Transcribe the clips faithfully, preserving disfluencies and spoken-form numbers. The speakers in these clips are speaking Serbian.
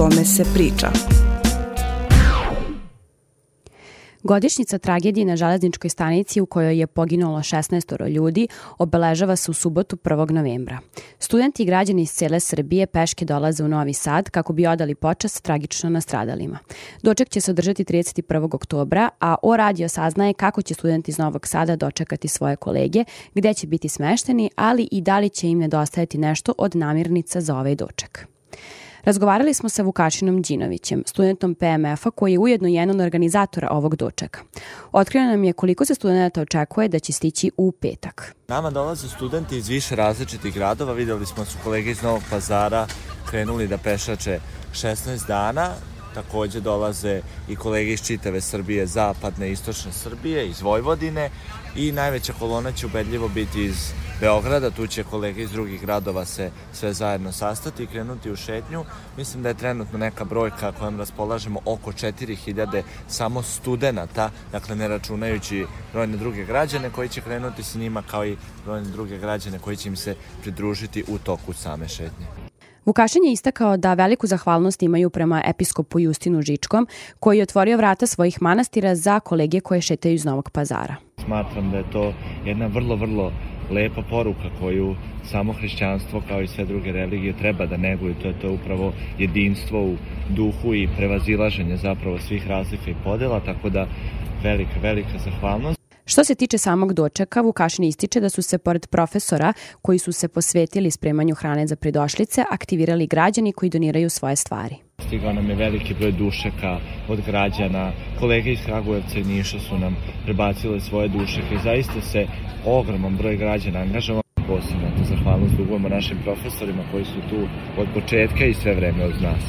tome se priča. Godišnjica tragedije na železničkoj stanici u kojoj je poginulo šesnaest ljudi obeležava se u subotu prvog novembra. Studenti i građani iz cele Srbije peške dolaze u Novi Sad kako bi odali počast tragično nastradalima. Doček će se održati trideset prvog oktobra, a O radio saznaje kako će studenti iz Novog Sada dočekati svoje kolege, gde će biti smešteni, ali i da li će im nedostajati nešto od namirnica za ovaj doček. Razgovarali smo sa Vukašinom Đinovićem, studentom P M F-a koji je ujedno jedan od organizatora ovog dočeka. Otkrio nam je koliko se studenta očekuje da će stići u petak. Nama dolaze studenti iz više različitih gradova. Vidjeli smo su kolege iz Novog Pazara krenuli da pešače šesnaest dana. Takođe dolaze i kolege iz čitave Srbije, zapadne i istočne Srbije, iz Vojvodine i najveća kolona će ubedljivo biti iz Beograda. Tu će kolege iz drugih gradova se sve zajedno sastati i krenuti u šetnju. Mislim da je trenutno neka brojka kojom raspolažemo oko četiri hiljade samo studenata, dakle ne računajući brojne druge građane koji će krenuti sa njima kao i brojne druge građane koji će im se pridružiti u toku same šetnje. Vukašin je istakao da veliku zahvalnost imaju prema episkopu Justinu Žičkom, koji je otvorio vrata svojih manastira za kolege koje šetaju iz Novog Pazara. Smatram da je to jedna vrlo, vrlo lepa poruka koju samo hrišćanstvo kao i sve druge religije treba da neguju. To je to upravo jedinstvo u duhu i prevazilaženje zapravo svih razlika i podela, tako da velika, velika zahvalnost. Što se tiče samog dočeka, Vukašin ističe da su se pored profesora koji su se posvetili spremanju hrane za pridošlice, aktivirali građani koji doniraju svoje stvari. Stigao nam je veliki broj dušeka od građana, kolege iz Kragujevca i Niša su nam prebacile svoje dušeke i zaista se ogroman broj građana angažovao. Posebno to zahvalnost dugujemo našim profesorima koji su tu od početka i sve vreme uz nas.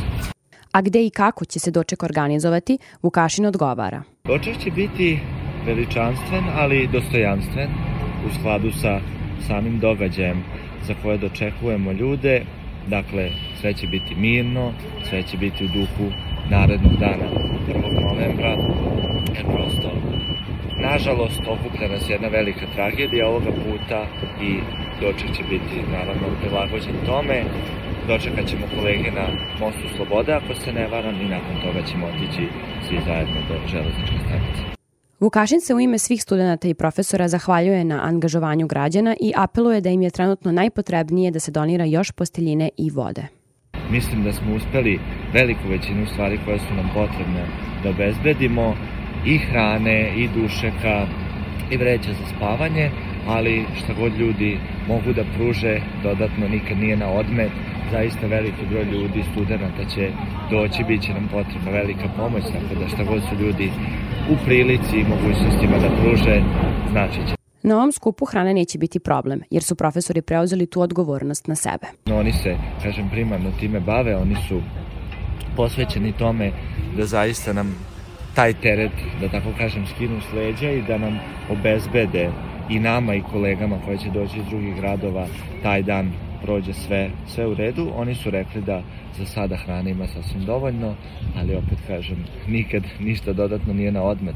A gde i kako će se doček organizovati, Vukašin odgovara. Doček će biti veličanstven, ali dostojanstven u skladu sa samim događajem za koje dočekujemo ljude. Dakle, sve će biti mirno, sve će biti u duhu narednog dana prvog novembra, jer prosto, nažalost, okuplja nas jedna velika tragedija ovoga puta i doček će biti, naravno, prilagođen tome. Dočekat ćemo kolege na Mostu Slobode, ako se ne varam, i nakon toga ćemo otići svi zajedno do železničke stanice. Vukašin se u ime svih studenata i profesora zahvaljuje na angažovanju građana i apeluje da im je trenutno najpotrebnije da se donira još posteljine i vode. Mislim da smo uspeli veliku većinu stvari koje su nam potrebne da obezbedimo, i hrane, i dušeka, i vreća za spavanje, ali šta god ljudi mogu da pruže dodatno nikad nije na odmet. Zaista veliki broj ljudi, studenata će doći, bit će nam potrebna velika pomoć, tako da šta god su ljudi u prilici i mogućnostima da pruže, znači će. Na ovom skupu hrana neće biti problem, jer su profesori preuzeli tu odgovornost na sebe. No, oni se, kažem, primarno time bave, oni su posvećeni tome da zaista nam taj teret, da tako kažem, skinu s leđa i da nam obezbede i nama i kolegama koji će doći iz drugih gradova taj dan prođe sve, sve u redu. Oni su rekli da za sada hrana ima sasvim dovoljno, ali opet kažem, nikad ništa dodatno nije na odmet.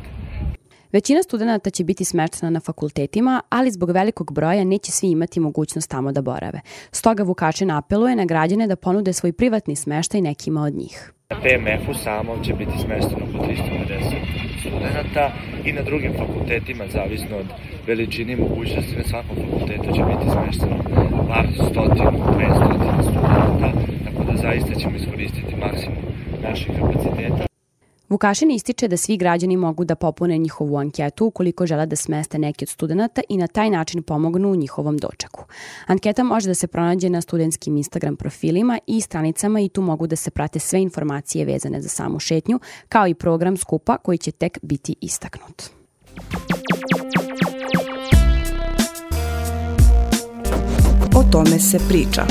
Većina studenata će biti smeštena na fakultetima, ali zbog velikog broja neće svi imati mogućnost tamo da borave. Stoga Vukašin apeluje na građane da ponude svoj privatni smeštaj nekima od njih. Na P M F-u samom će biti smešteno oko trista pedeset studenta i na drugim fakultetima, zavisno od veličine i mogućnosti, na svakom fakultetu će biti smešteno par stotinu, dvesta studenta, tako da zaista ćemo iskoristiti maksimum naših kapaciteta. Vukašin ističe da svi građani mogu da popune njihovu anketu ukoliko žele da smeste neki od studenata i na taj način pomognu u njihovom dočeku. Anketa može da se pronađe na studentskim Instagram profilima i stranicama i tu mogu da se prate sve informacije vezane za samu šetnju, kao i program skupa koji će tek biti istaknut. O tome se priča.